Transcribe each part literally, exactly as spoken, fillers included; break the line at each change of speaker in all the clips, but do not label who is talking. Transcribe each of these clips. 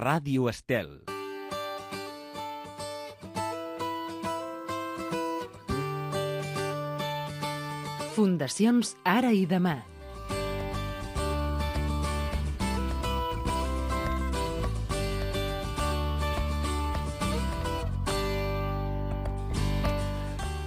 Ràdio Estel.
Fundacions Ara i Demà.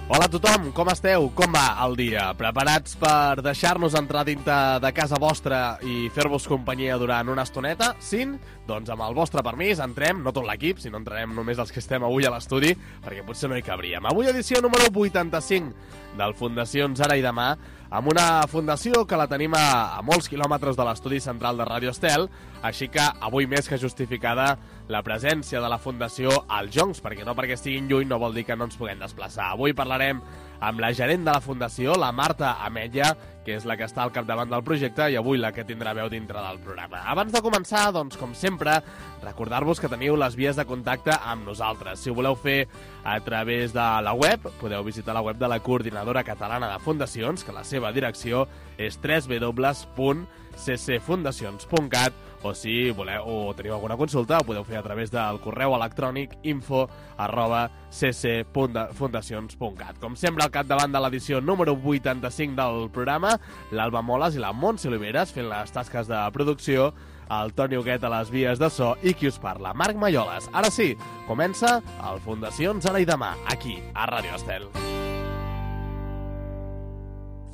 Hola a tothom, com esteu? Com va el dia? Preparats per deixar-nos entrar dintre de casa vostra i fer-vos companyia durant una estoneta? Sí? Doncs amb el vostre permís entrem, no tot l'equip, sinó entrarem només els que estem avui a l'estudi, perquè potser no hi cabríem. Avui edició número vuitanta-cinc del Fundacions Ara i Demà, amb una fundació que la tenim a, a molts quilòmetres de l'estudi central de Ràdio Estel, així que avui més que justificada la presència de la Fundació als Joncs, perquè no perquè estiguin lluny no vol dir que no ens puguem desplaçar. Avui parlarem amb la gerent de la Fundació, la Marta Ametlla, que és la que està al capdavant del projecte i avui la que tindrà veu dintre del programa. Abans de començar, doncs, com sempre, recordar-vos que teniu les vies de contacte amb nosaltres. Si ho voleu fer a través de la web, podeu visitar la web de la Coordinadora Catalana de Fundacions, que la seva direcció és w w w punt c c fundacions punt cat, o si voleu o teniu alguna consulta, ho podeu fer a través del correu electrònic info arroba c c punt fundacions punt cat. Com sempre, al capdavant de l'edició número vuitanta-cinc del programa, l'Alba Moles i la Montse Oliveres fent les tasques de producció, el Toni Huguet a les vies de so i qui us parla, Marc Malloles. Ara sí, comença el Fundacions Ara i Demà, aquí, a Ràdio Estel.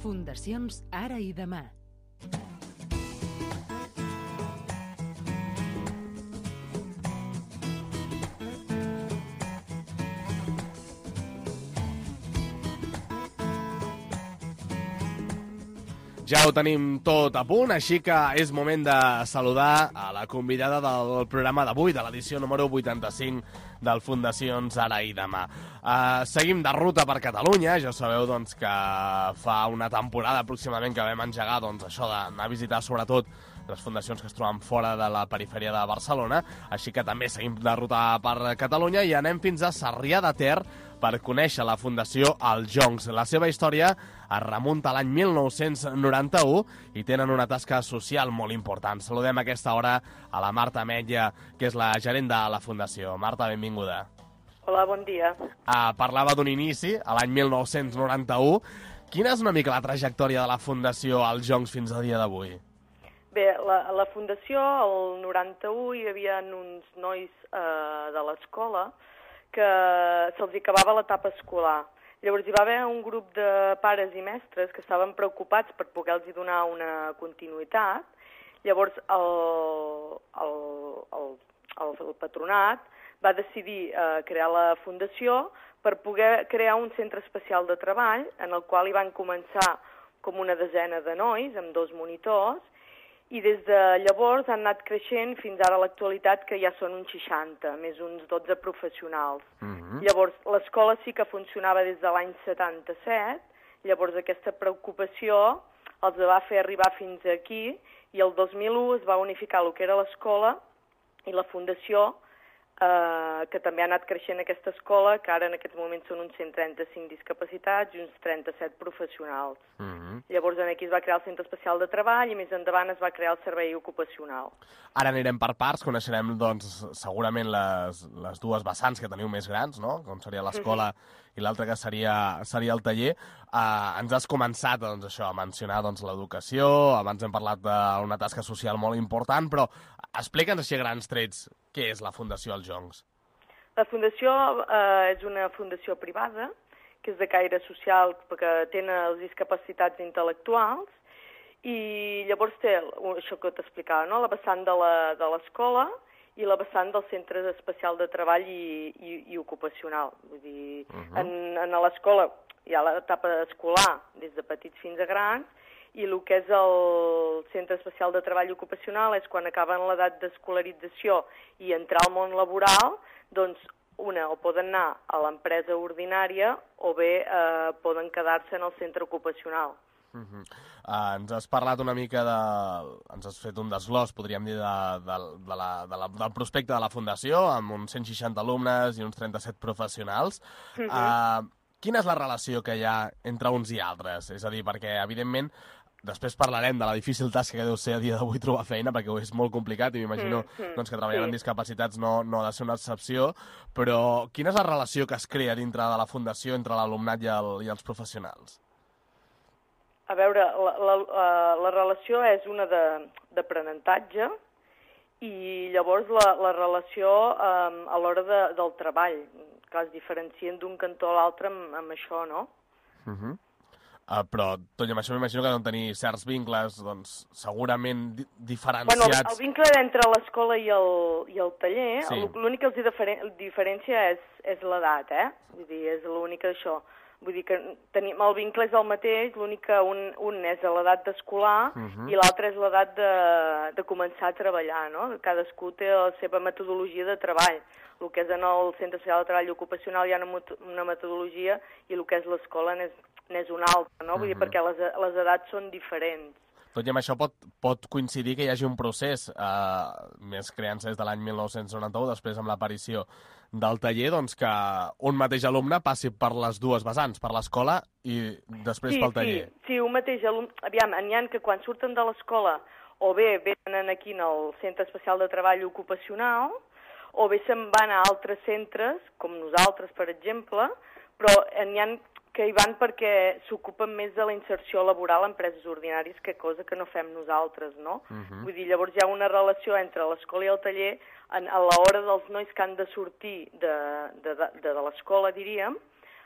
Fundacions Ara i Demà.
Ja ho tenim tot a punt, així que és moment de saludar a la convidada del programa d'avui, de l'edició número vuitanta-cinc del Fundacions Ara i Demà. Uh, seguim de ruta per Catalunya, ja sabeu doncs, que fa una temporada aproximadament que vam engegar doncs, això d'anar a visitar sobretot les fundacions que es troben fora de la perifèria de Barcelona, així que també seguim de ruta per Catalunya i anem fins a Sarrià de Ter per conèixer la Fundació Els Joncs. La seva història es remunta a l'any mil nou-cents noranta-u i tenen una tasca social molt important. Saludem a aquesta hora a la Marta Ametlla, que és la gerent de la Fundació. Marta, benvinguda.
Hola, bon dia.
Uh, parlava d'un inici, a l'any mil nou-cents noranta-u. Quina és una mica la trajectòria de la Fundació Els Joncs fins al dia d'avui?
Bé, la, la Fundació, el noranta-u, hi havia uns nois eh, de l'escola que se'ls acabava l'etapa escolar. Llavors hi va haver un grup de pares i mestres que estaven preocupats per poder-los donar una continuïtat. Llavors el, el, el, el, el patronat va decidir eh, crear la Fundació per poder crear un centre especial de treball en el qual hi van començar com una desena de nois amb dos monitors i des de llavors han anat creixent fins ara a l'actualitat que ja són uns seixanta, més uns dotze professionals. Uh-huh. Llavors, l'escola sí que funcionava des de l'any setanta-set, llavors aquesta preocupació els va fer arribar fins aquí i el dos mil u es va unificar el que era l'escola i la Fundació, eh, que també ha anat creixent aquesta escola, que ara en aquests moments són uns cent trenta-cinc discapacitats i uns trenta-set professionals. Uh-huh. Llavors aquí es va crear el Centre Especial de Treball i més endavant es va crear el Servei Ocupacional.
Ara anirem per parts, coneixerem doncs, segurament les, les dues vessants que teniu més grans, no? Com seria l'escola uh-huh. i l'altra que seria, seria el taller. Uh, ens has començat doncs, això, a mencionar doncs, l'educació, abans hem parlat d'una tasca social molt important, però explica'ns així a grans trets què és la Fundació Els Joncs.
La Fundació eh, és una fundació privada, que és de caire social, perquè tenen les discapacitats intel·lectuals, i llavors té això que t'explicava, no? La vessant de l'escola i la vessant del Centre Especial de Treball i, i, i Ocupacional. Vull dir, uh-huh. en, en l'escola hi ha l'etapa escolar, des de petits fins a grans, i el que és el Centre Especial de Treball Ocupacional és quan acaben l'edat d'escolarització i entrar al món laboral, doncs una, o poden anar a l'empresa ordinària o bé eh, poden quedar-se en el centre ocupacional.
Uh-huh. uh, ens has parlat una mica de... ens has fet un desglòs, podríem dir, de, de, de la, de la, del prospecte de la Fundació, amb uns cent seixanta alumnes i uns trenta-set professionals. Uh-huh. uh, quina és la relació que hi ha entre uns i altres? És a dir, perquè, evidentment, després parlarem de la difícil tasca que deu ser a dia d'avui trobar feina, perquè és molt complicat i m'imagino mm, mm, doncs, que treballar sí. amb discapacitats no, no ha de ser una excepció, però quina és la relació que es crea dintre de la Fundació entre l'alumnat i, el, i els professionals?
A veure, la, la, la relació és una d'aprenentatge i llavors la, la relació um, a l'hora de, del treball. Clar, es diferencien d'un cantó a l'altre amb, amb això, no?
Uh -huh. Uh, però tot i amb això m'imagino que deuen tenir certs vincles, doncs, segurament di diferenciats.
Bueno, el, el vincle entre l'escola i, el, i el taller, sí. L'únic que els diferen, diferència és, és l'edat, eh? Vull dir, és l'únic això. Vull dir que tenim, el vincle és el mateix, l'únic que un, un és a l'edat d'escolar uh -huh. i l'altre és l'edat de, de començar a treballar, no? Cadascú té la seva metodologia de treball. El que és en el Centre Especial de Treball Ocupacional hi ha una, una metodologia i el que és l'escola n'és n'és una altra, no? Vull dir, uh -huh. perquè les, les edats són diferents.
Tot i amb això pot, pot coincidir que hi hagi un procés, eh, més creant-se des de l'any mil nou-cents noranta-u, després amb l'aparició del taller, doncs que un mateix alumne passi per les dues vessants, per l'escola i després
sí,
pel taller.
Sí, sí, un mateix alumne... Aviam, n'hi ha que quan surten de l'escola o bé venen aquí al Centre Especial de Treball Ocupacional o bé se'n van a altres centres, com nosaltres, per exemple, però n'hi ha que hi van perquè s'ocupen més de la inserció laboral en empreses ordinàries, que cosa que no fem nosaltres, no? Uh -huh. Vull dir, llavors hi ha una relació entre l'escola i el taller en, a l'hora dels nois que han de sortir de, de, de, de, de l'escola, diríem,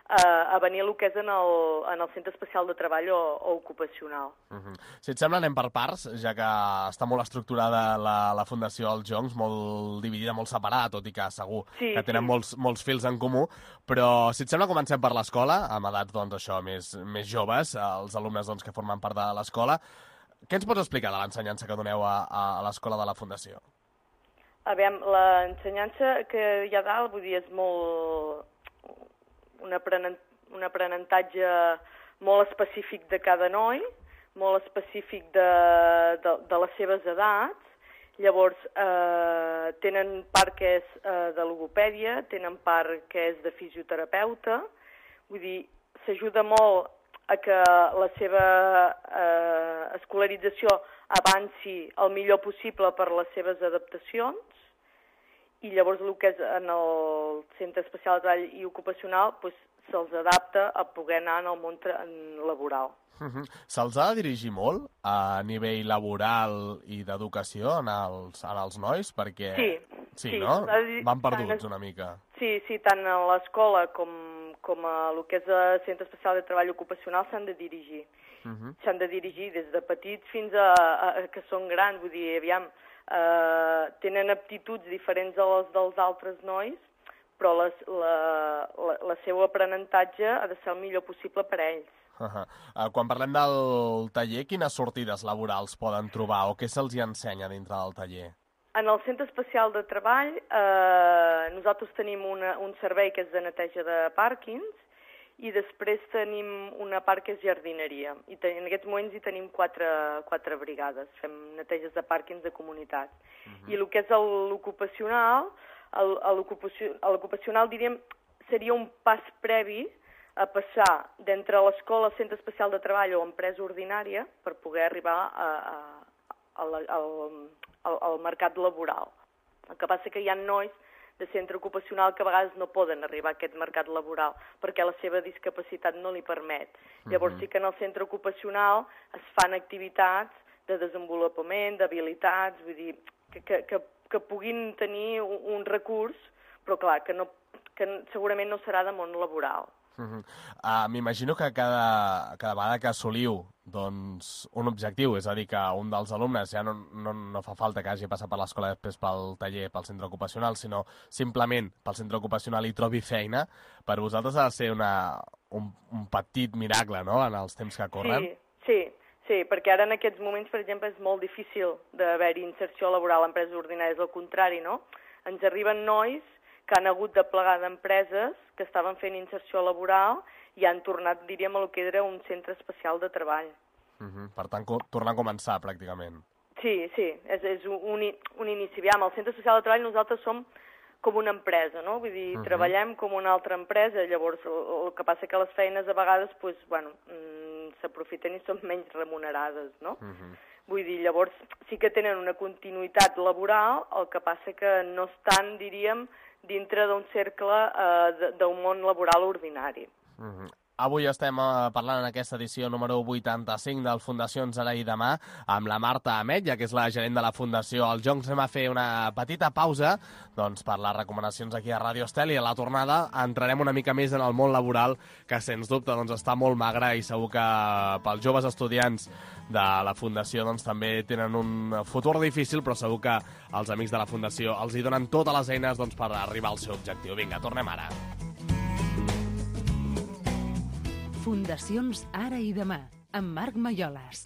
a, a venir a el que és en el, en el Centre Especial de Treball o, o Ocupacional.
Uh -huh. Si et sembla, anem per parts, ja que està molt estructurada la, la Fundació Els Joncs, molt dividida, molt separada, tot i que segur sí, que tenen sí. molts, molts fils en comú, però si et sembla, comencem per l'escola, amb edats, doncs, això, més, més joves, els alumnes doncs, que formen part de l'escola. Què ens pots explicar de l'ensenyança que doneu a, a l'escola de la Fundació?
A veure, l'ensenyança que hi ha dalt, vull dir, és molt... Un, aprenent, un aprenentatge molt específic de cada noi, molt específic de, de, de les seves edats. Llavors, eh, tenen part que és eh, de logopèdia, tenen part que és de fisioterapeuta. Vull dir, s'ajuda molt a que la seva eh, escolarització avanci el millor possible per les seves adaptacions. I llavors el que és en el Centre Especial de Treball i Ocupacional doncs, se'ls adapta a poder anar en el món laboral.
Uh -huh. Se'ls ha de dirigir molt a nivell laboral i d'educació en, els, en els nois? Perquè...
Sí.
Sí,
sí
no? Van perduts una mica.
Sí, sí, tant a l'escola com, com a el que és el Centre Especial de Treball Ocupacional s'han de dirigir. Uh -huh. S'han de dirigir des de petits fins a, a, a que són grans. Vull dir, aviam... Uh, tenen aptituds diferents a les dels altres nois, però les, la, la, la seu aprenentatge ha de ser el millor possible per a ells.
Uh -huh. uh, quan parlem del taller, quines sortides laborals poden trobar o què se'ls hi ensenya dintre del taller?
En el Centre Especial de Treball eh, nosaltres tenim una, un servei que és de neteja de pàrquings i després tenim una part que és jardineria. I ten, en aquests moments hi tenim quatre, quatre brigades. Fem neteges de pàrquings de comunitat. Uh-huh. I el que és l'ocupacional, l'ocupacional, diríem, seria un pas previ a passar d'entre l'escola, Centre Especial de Treball o empresa ordinària per poder arribar a, a, a la, al, al, al mercat laboral. El que passa que hi ha nois de centre ocupacional que a vegades no poden arribar a aquest mercat laboral perquè la seva discapacitat no li permet. Uh-huh. Llavors sí que en el centre ocupacional es fan activitats de desenvolupament, d'habilitats, vull dir, que, que, que, que puguin tenir un, un recurs, però clar, que, no, que segurament no serà de món laboral.
Uh-huh. uh, M'imagino que cada, cada vegada que assoliu doncs, un objectiu, és a dir, que un dels alumnes ja no, no, no fa falta que hagi passat per l'escola després pel taller, pel centre ocupacional, sinó simplement pel centre ocupacional i trobi feina, per vosaltres ha de ser una, un, un petit miracle, no?, en els temps que corren.
Sí, sí, sí, perquè ara en aquests moments, per exemple, és molt difícil d'haver-hi inserció laboral a empreses ordinàries, al contrari, no? Ens arriben nois que han hagut de plegar d'empreses que estaven fent inserció laboral i han tornat, diríem, a el que era un centre especial de treball.
Uh -huh. Per tant, tornar a començar, pràcticament.
Sí, sí, és, és un, un inici. Aviam, al centre especial de treball nosaltres som com una empresa, no? Vull dir, uh -huh. treballem com una altra empresa, llavors el, el que passa que les feines a vegades, pues, bueno, s'aprofiten i són menys remunerades, no?
Uh-huh.
Vull dir, llavors sí que tenen una continuïtat laboral, el que passa que no estan, diríem, dintre d'un cercle eh, d'un món laboral ordinari.
Uh-huh. Avui estem uh, parlant en aquesta edició número vuitanta-cinc del Fundacions Ara i Demà amb la Marta Ametlla, que és la gerent de la Fundació Els Joncs. Anem a fer una petita pausa doncs, per les recomanacions aquí a Ràdio Estel, i a la tornada entrarem una mica més en el món laboral, que sens dubte doncs, està molt magre, i segur que pels joves estudiants de la Fundació doncs, també tenen un futur difícil, però segur que els amics de la Fundació els hi donen totes les eines doncs, per arribar al seu objectiu. Vinga, tornem ara.
Fundacions Ara i Demà, amb Marc Malloles.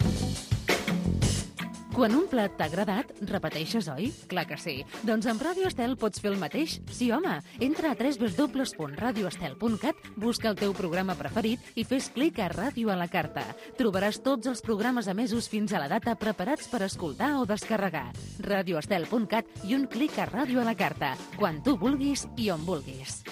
Quan un plat t'ha agradat, repeteixes, oi? Clar que sí. Doncs amb Ràdio Estel pots fer el mateix? Sí, home. Entra a w w w punt radio estel punt cat, busca el teu programa preferit i fes clic a Ràdio a la carta. Trobaràs tots els programes emesos fins a la data preparats per escoltar o descarregar. radio estel punt cat i un clic a Ràdio a la carta, quan tu vulguis i on vulguis.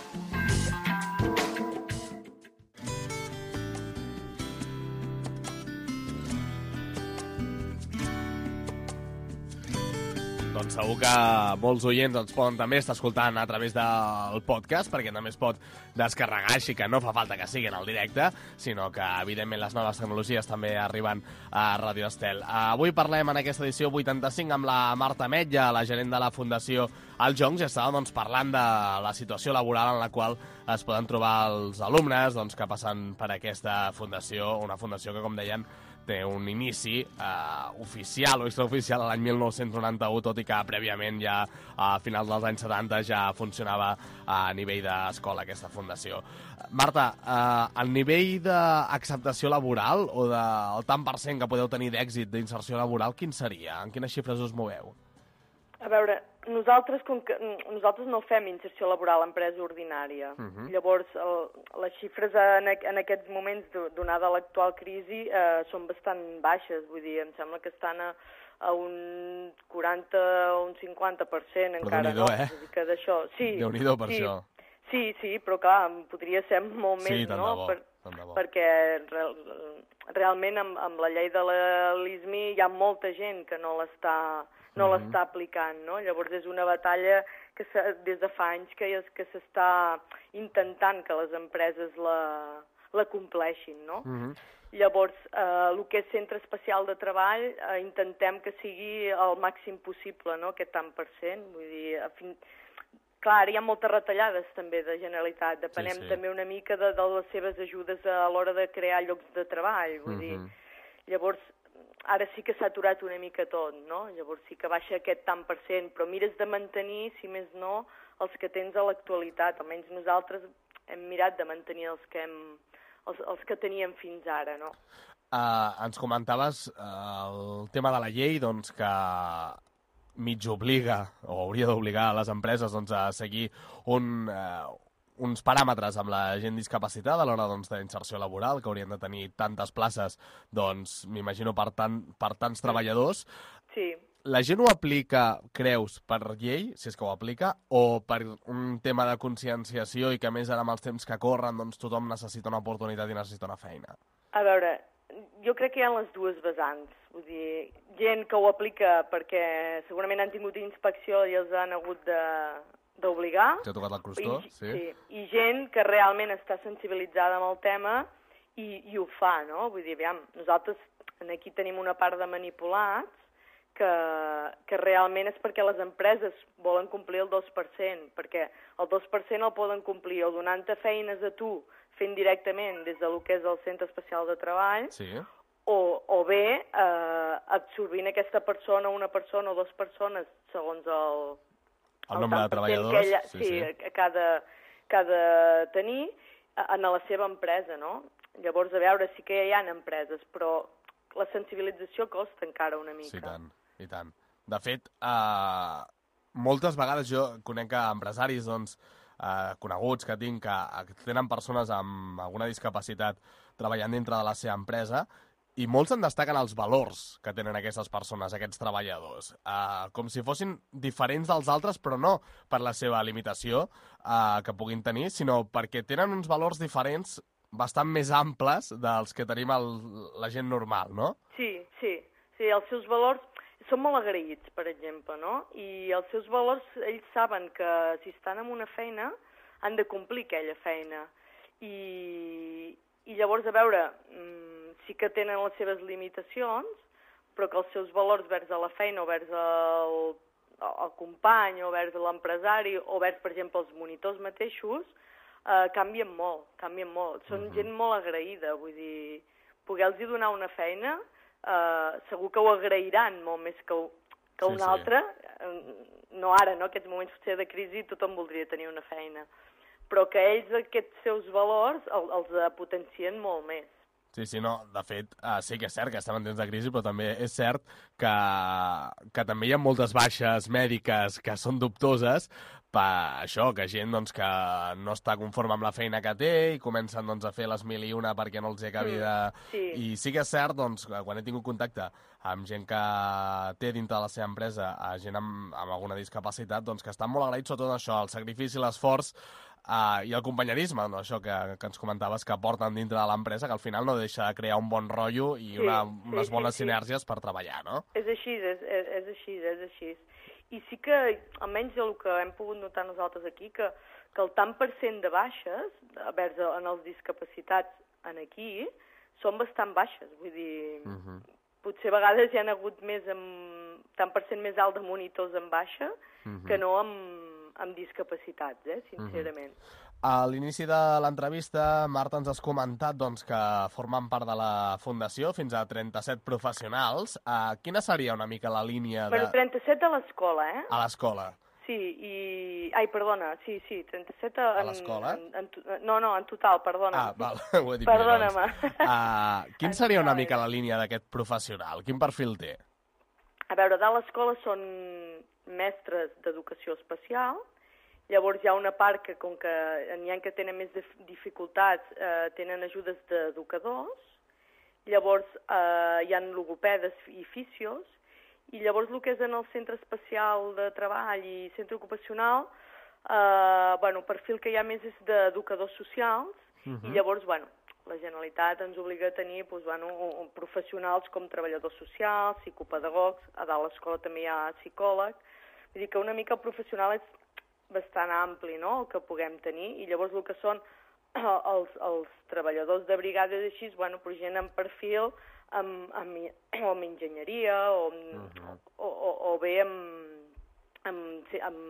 Doncs segur que molts oients ens poden també estar escoltant a través del podcast, perquè també es pot descarregar, així que no fa falta que siguin al directe, sinó que, evidentment, les noves tecnologies també arriben a Ràdio Estel. Avui parlem en aquesta edició vuitanta-cinc amb la Marta Ametlla, la gerent de la Fundació Els Joncs, i estàvem doncs, parlant de la situació laboral en la qual es poden trobar els alumnes doncs, que passen per aquesta fundació, una fundació que, com deien, té un inici eh, oficial o extraoficial a l'any mil nou-cents noranta-u, tot i que prèviament ja a finals dels anys setanta ja funcionava a nivell d'escola aquesta fundació. Marta, eh, el nivell d'acceptació laboral o del tant per cent que podeu tenir d'èxit d'inserció laboral, quin seria? En quines xifres us moveu?
A veure, nosaltres, com que, nosaltres no fem inserció laboral a empresa ordinària. Uh-huh. Llavors, el, les xifres en, en aquests moments, donada l'actual crisi, eh, són bastant baixes. Vull dir, em sembla que estan a, a un quaranta o un cinquanta per cent encara.
Però Déu-n'hi-do,
no?
eh?
Vull dir que d'això... Sí,
Déu-n'hi-do per
sí,
això.
Sí, sí, però clar, podria ser molt
sí,
més,
tant
no?
De bo,
per,
tant de bo.
Perquè real, realment amb, amb la llei de l'I S M I hi ha molta gent que no l'està... no uh-huh. l'està aplicant, no? Llavors és una batalla que des de fa anys que, que s'està intentant que les empreses la, la compleixin, no? Uh-huh. Llavors, eh, el que és centre especial de treball, eh, intentem que sigui el màxim possible, no?, aquest tant per cent. Vull dir, a fin... clar, hi ha moltes retallades també de Generalitat, depenem sí, sí. també una mica de, de les seves ajudes a l'hora de crear llocs de treball, vull uh-huh. dir. Llavors, ara sí que s'ha aturat una mica tot, no? Llavors sí que baixa aquest tant per cent, però mires de mantenir, si més no, els que tens a l'actualitat. Almenys nosaltres hem mirat de mantenir els que, hem, els, els que teníem fins ara, no?
Uh, ens comentaves uh, el tema de la llei, doncs, que mig obliga, o hauria d'obligar a les empreses doncs, a seguir un... Uh, uns paràmetres amb la gent discapacitada a l'hora doncs, d'inserció laboral, que haurien de tenir tantes places, doncs, m'imagino, per, tant, per tants treballadors.
Sí.
La gent ho aplica, creus, per llei, si és que ho aplica, o per un tema de conscienciació i que, a més, ara amb els temps que corren, doncs, tothom necessita una oportunitat i necessita una feina?
A veure, jo crec que hi ha les dues vessants. Vull dir, gent que ho aplica perquè segurament han tingut inspecció i els han hagut de... d'obligar.
Ja ha tocat el crostó,
I,
sí.
sí. I gent que realment està sensibilitzada amb el tema i, i ho fa, no? Vull dir, aviam, nosaltres aquí tenim una part de manipulats que, que realment és perquè les empreses volen complir el dos per cent, perquè el dos per cent el poden complir o donant-te feines a tu fent directament des del que és el Centre Especial de Treball, sí. o, o bé eh, absorbint aquesta persona, una persona o dues persones, segons el...
El, el nombre de treballadors,
ella,
sí,
sí,
sí.
Que ha de, que ha de tenir en la seva empresa, no? Llavors, a veure, sí que hi ha empreses, però la sensibilització costa encara una mica.
Sí, tant, i tant. De fet, eh, moltes vegades jo conec empresaris doncs, eh, coneguts que tinc que, que tenen persones amb alguna discapacitat treballant dintre de la seva empresa, i molts en destaquen els valors que tenen aquestes persones, aquests treballadors, uh, com si fossin diferents dels altres, però no per la seva limitació uh, que puguin tenir, sinó perquè tenen uns valors diferents bastant més amples dels que tenim el, la gent normal, no?
Sí, sí, sí, els seus valors són molt agraïts, per exemple, no? I els seus valors, ells saben que si estan en una feina han de complir aquella feina. I, i llavors, a veure, sí que tenen les seves limitacions, però que els seus valors vers a la feina o vers al, al company o vers l'empresari o vers, per exemple, els monitors mateixos, eh, canvien molt, canvien molt. Són uh-huh. gent molt agraïda, vull dir, poder-los donar una feina, eh, segur que ho agrairan molt més que, que sí, una sí. altra. No ara, no? Aquests moments potser de crisi tothom voldria tenir una feina. Però que ells aquests seus valors el, els potencien molt més.
Sí, sí, no, de fet, uh, sí que és cert que estem en temps de crisi, però també és cert que, que també hi ha moltes baixes mèdiques que són dubtoses per això, que gent doncs, que no està conforme amb la feina que té i comencen doncs, a fer les mil i una perquè no els hi acabi de... Mm, sí. I sí que és cert, doncs, quan he tingut contacte amb gent que té dintre de la seva empresa, a gent amb, amb alguna discapacitat, doncs, que estan molt agraïts sobre tot això, el sacrifici, l'esforç, Uh, i el companyerisme, no? Això que, que ens comentaves que porten dintre de l'empresa, que al final no deixa de crear un bon rotllo i sí, una, unes sí, bones sí, sinergies sí. per treballar, no?
És així, és, és, és així, és així. I sí que, almenys el que hem pogut notar nosaltres aquí, que, que el tant per cent de baixes, vers en els discapacitats en aquí, són bastant baixes, vull dir, uh-huh. potser a vegades hi ha hagut més amb, tant per cent més alt de monitors en baixa uh-huh. que no amb amb discapacitats, eh, sincerament.
Uh-huh. A l'inici de l'entrevista, Marta, ens has comentat doncs, que formen part de la Fundació fins a trenta-set professionals. Uh, quina seria una mica la línia de...
Bueno, trenta-set a l'escola, eh?
A l'escola.
Sí, i... Ai, perdona, sí, sí, trenta-set a...
A l'escola?
En, en, no, no, en total, perdona.
Ah, val, ho he dit
Perdona-me.
Uh, quin seria una mica la línia d'aquest professional? Quin perfil té?
A veure, de l'escola són mestres d'educació especial, llavors hi ha una part que, com que n'hi ha que tenen més dificultats, eh, tenen ajudes d'educadors, llavors eh, hi ha logopedes i fisios, i llavors el que és en el centre especial de treball i centre ocupacional, eh, bueno, el perfil que hi ha més és d'educadors socials, uh-huh. i llavors, bueno, la Generalitat ens obliga a tenir doncs, bueno, professionals com treballadors socials, psicopedagogs, a dalt l'escola també hi ha psicòleg. Vull dir que una mica el professional és bastant ampli, no?, el que puguem tenir, i llavors el que són els, els treballadors de brigades així, bueno, però gent en perfil amb, amb, o amb enginyeria o, uh-huh. o, o, o bé amb, amb, amb,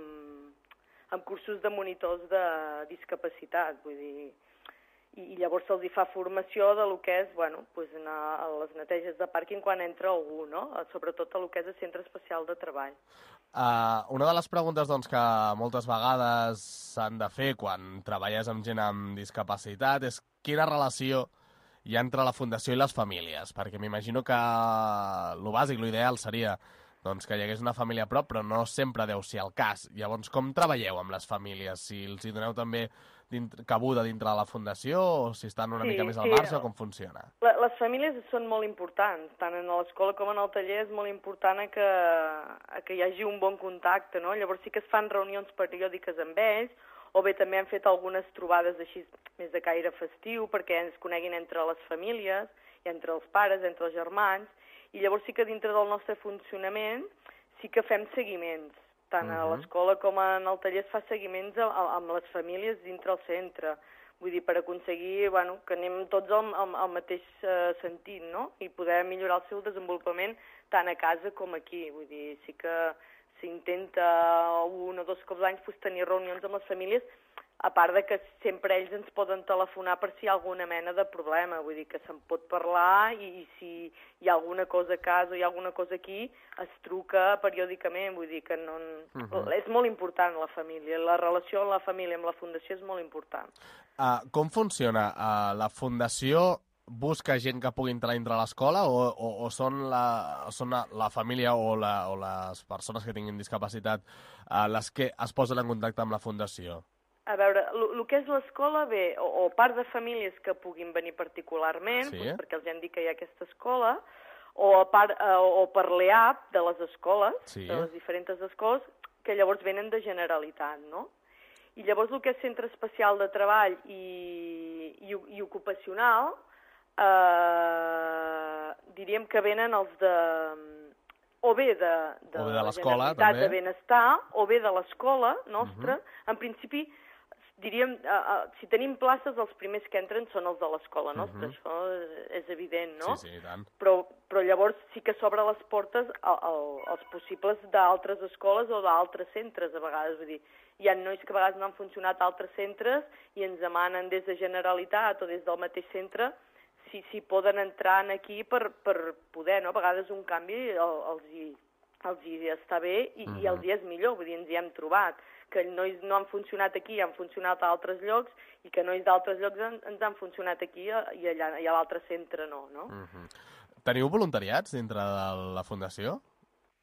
amb cursos de monitors de discapacitat, vull dir... I, i llavors se'ls fa formació de lo que és, bueno, pues anar a les neteges de pàrquing quan entra algú, no? Sobretot a lo que és el centre especial de treball.
Uh, una de les preguntes doncs, que moltes vegades s'han de fer quan treballes amb gent amb discapacitat és quina relació hi ha entre la Fundació i les famílies, perquè m'imagino que el bàsic, l'ideal seria doncs, que hi hagués una família a prop, però no sempre deu ser el cas. Llavors, com treballeu amb les famílies? Si els hi doneu també dintre, cabuda dintre de la Fundació o si estan una sí, mica més al marge, sí. o com funciona?
La, les famílies són molt importants, tant en l'escola com en el taller és molt important que, que hi hagi un bon contacte, no? Llavors sí que es fan reunions periòdiques amb ells, o bé també han fet algunes trobades així més de caire festiu perquè ens coneguin entre les famílies, i entre els pares, entre els germans, i llavors sí que dintre del nostre funcionament sí que fem seguiments, tant uh-huh. a l'escola com en el taller es fa seguiments a, a, amb les famílies dintre el centre, vull dir, per aconseguir bueno, que anem tots al, al, al mateix uh, sentit, no? I poder millorar el seu desenvolupament tant a casa com aquí, vull dir, sí que s'intenta un o dos cops l'any pues, tenir reunions amb les famílies, a part de que sempre ells ens poden telefonar per si hi ha alguna mena de problema, vull dir que se'n pot parlar i, i si hi ha alguna cosa a casa o hi ha alguna cosa aquí, es truca periòdicament, vull dir que no... Uh-huh. És molt important la família, la relació amb la família, amb la Fundació és molt important.
Uh, com funciona? Uh, la Fundació busca gent que pugui entrar dintre l'escola o, o, o són, la, són la, la família o, la, o les persones que tinguin discapacitat uh, les que es posen en contacte amb la Fundació?
A veure, el que és l'escola, bé, o, o part de famílies que puguin venir particularment, sí. doncs perquè els hem dit que hi ha aquesta escola, o, a part, eh, o per l'E A P de les escoles, sí. de les diferents escoles, que llavors venen de Generalitat, no? I llavors el que és centre especial de treball i, i, i ocupacional, eh, diríem que venen els de... o bé de, de,
o bé de
la
l'escola,
Generalitat
també.
de Benestar, o bé de l'escola nostra.
Uh-huh.
En principi, diríem, uh, uh, si tenim places, els primers que entren són els de l'escola nostra, uh-huh. Això és evident, no?
Sí, sí, i tant.
Però, però llavors sí que s'obre les portes a, a, als possibles d'altres escoles o d'altres centres, a vegades. Vull dir, hi ha nois que a vegades no han funcionat a altres centres i ens demanen des de Generalitat o des del mateix centre si, si poden entrar aquí per, per poder, no? A vegades un canvi el, els, hi, els hi està bé i, uh-huh. i els hi és millor, vull dir, ens hi hem trobat, que nois no han funcionat aquí i han funcionat a altres llocs i que nois d'altres llocs en, ens han funcionat aquí i allà i a l'altre centre no, no?
Uh-huh. Teniu voluntariats dintre de la Fundació?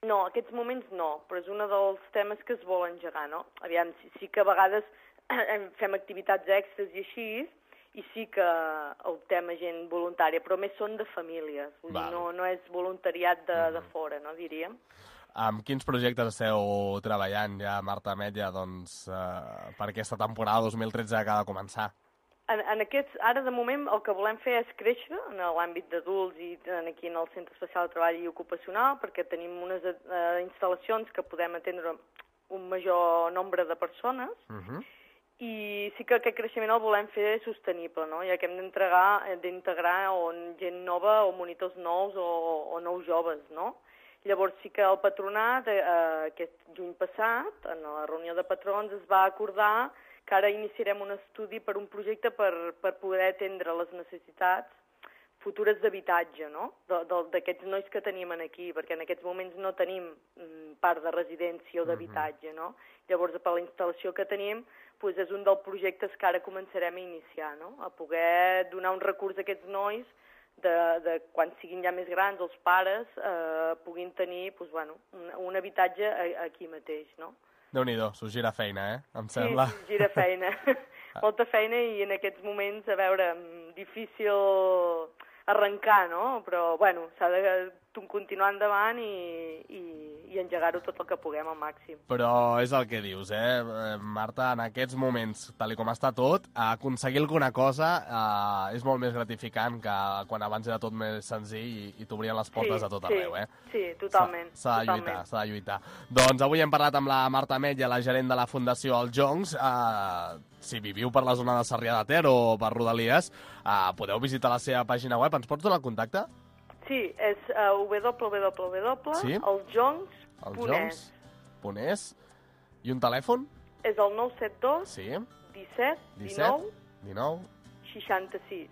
No, en aquests moments no, però és un dels temes que es vol engegar, no? Aviam, sí, sí que a vegades fem activitats extres i així, i sí que optem a gent voluntària, però més són de famílies, vull dir, no, no és voluntariat de, uh-huh. de fora, no, diríem.
Amb quins projectes esteu treballant ja, Marta Ametlla, doncs, eh, per aquesta temporada dos mil tretze que acaba de començar?
En, en aquests, ara, de moment, el que volem fer és créixer en l'àmbit d'adults i en, aquí en el Centre Especial de Treball i Ocupacional, perquè tenim unes eh, instal·lacions que podem atendre un major nombre de persones, uh-huh. i sí que aquest creixement el volem fer sostenible, no? Ja que hem d'entregar, d'integrar o gent nova o monitors nous o, o nous joves, no? Llavors sí que el patronat, eh, aquest juny passat, en la reunió de patrons, es va acordar que ara iniciarem un estudi per un projecte per, per poder atendre les necessitats futures d'habitatge, no? D'aquests nois que tenim aquí, perquè en aquests moments no tenim part de residència o d'habitatge, no? Llavors, per la instal·lació que tenim, doncs és un dels projectes que ara començarem a iniciar, no? A poder donar un recurs a aquests nois de, de quan siguin ja més grans, els pares eh, puguin tenir doncs, bueno, un, un habitatge aquí mateix, no?
Déu-n'hi-do, s'ho gira feina, eh? Em sembla.
Sí, gira feina. Molta feina i en aquests moments, a veure, difícil arrencar, no? Però, bueno, s'ha de continuar endavant i, i, i engegar-ho tot el que puguem al màxim.
Però és el que dius, eh, Marta? En aquests moments, tal com està tot, aconseguir alguna cosa eh, és molt més gratificant que quan abans era tot més senzill i, i t'obrien les portes
sí,
a tot
sí,
arreu, eh?
Sí, totalment.
S'ha de lluitar, s'ha de lluitar. Doncs avui hem parlat amb la Marta Ametlla, la gerent de la Fundació Els Joncs. Eh, si viviu per la zona de Sarrià de Ter o per Rodalies, eh, podeu visitar la seva pàgina web. Ens pots donar el contacte?
Sí, és uh, w w w punt
sí?
elsjoncs punt es.
punt es. I un telèfon?
És el nou set dos
sí.
disset dinou
dinou
seixanta-sis.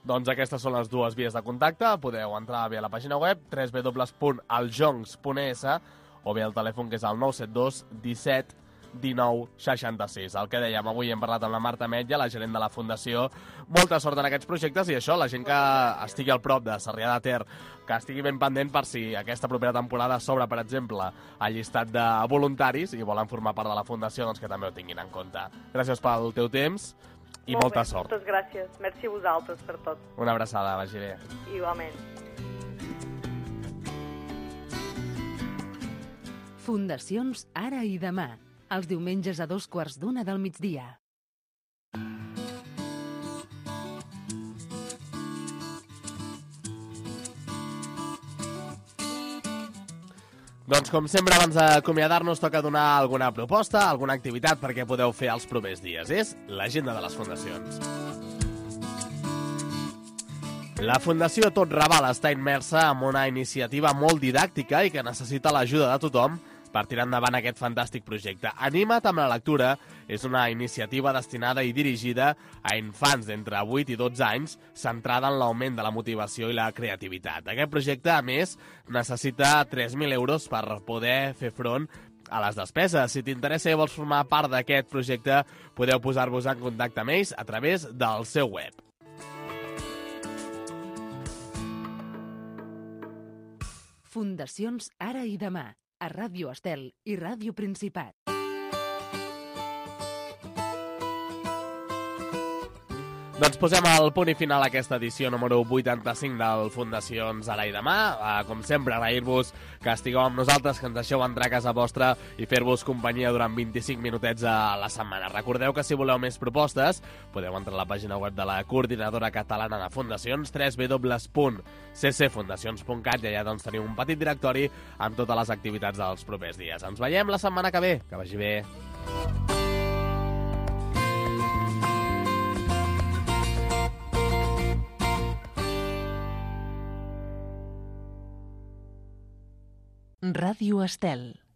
Doncs aquestes són les dues vies de contacte. Podeu entrar via la pàgina web w w w punt elsjoncs punt es o bé el telèfon que és el nou set dos disset dinou seixanta-sis. El que dèiem, avui hem parlat amb la Marta Ametlla, la gerent de la Fundació. Molta sort en aquests projectes i això, la gent que estigui al prop de Sarrià de Ter, que estigui ben pendent per si aquesta propera temporada s'obre, per exemple, al llistat de voluntaris i volen formar part de la Fundació, doncs que també ho tinguin en compte. Gràcies pel teu temps i
Molt
molta
bé,
sort.
Moltes gràcies. Merci a vosaltres per tot.
Una abraçada, vagi bé.
Igualment.
Fundacions Ara i Demà. Els diumenges a dos quarts d'una del migdia.
Doncs com sempre, abans d'acomiadar-nos, toca donar alguna proposta, alguna activitat perquè podeu fer els propers dies. És l'agenda de les fundacions. La Fundació Tot Raval està immersa en una iniciativa molt didàctica i que necessita l'ajuda de tothom per tirar endavant aquest fantàstic projecte. Anima't amb la lectura és una iniciativa destinada i dirigida a infants d'entre vuit i dotze anys, centrada en l'augment de la motivació i la creativitat. Aquest projecte, a més, necessita tres mil euros per poder fer front a les despeses. Si t'interessa i vols formar part d'aquest projecte, podeu posar-vos en contacte amb ells a través del seu web.
Fundacions Ara i Demà, a Ràdio Estel i Ràdio
Doncs posem el punt i final a aquesta edició número vuitanta-cinc del Fundacions Ara i Demà. Uh, com sempre, agrair-vos que estigueu amb nosaltres, que ens deixeu entrar a casa vostra i fer-vos companyia durant vint-i-cinc minutets a la setmana. Recordeu que si voleu més propostes, podeu entrar a la pàgina web de la Coordinadora Catalana de Fundacions, w w w punt c c fundacions punt cat, i allà doncs teniu un petit directori amb totes les activitats dels propers dies. Ens veiem la setmana que ve. Que vagi bé.
Ràdio Estel.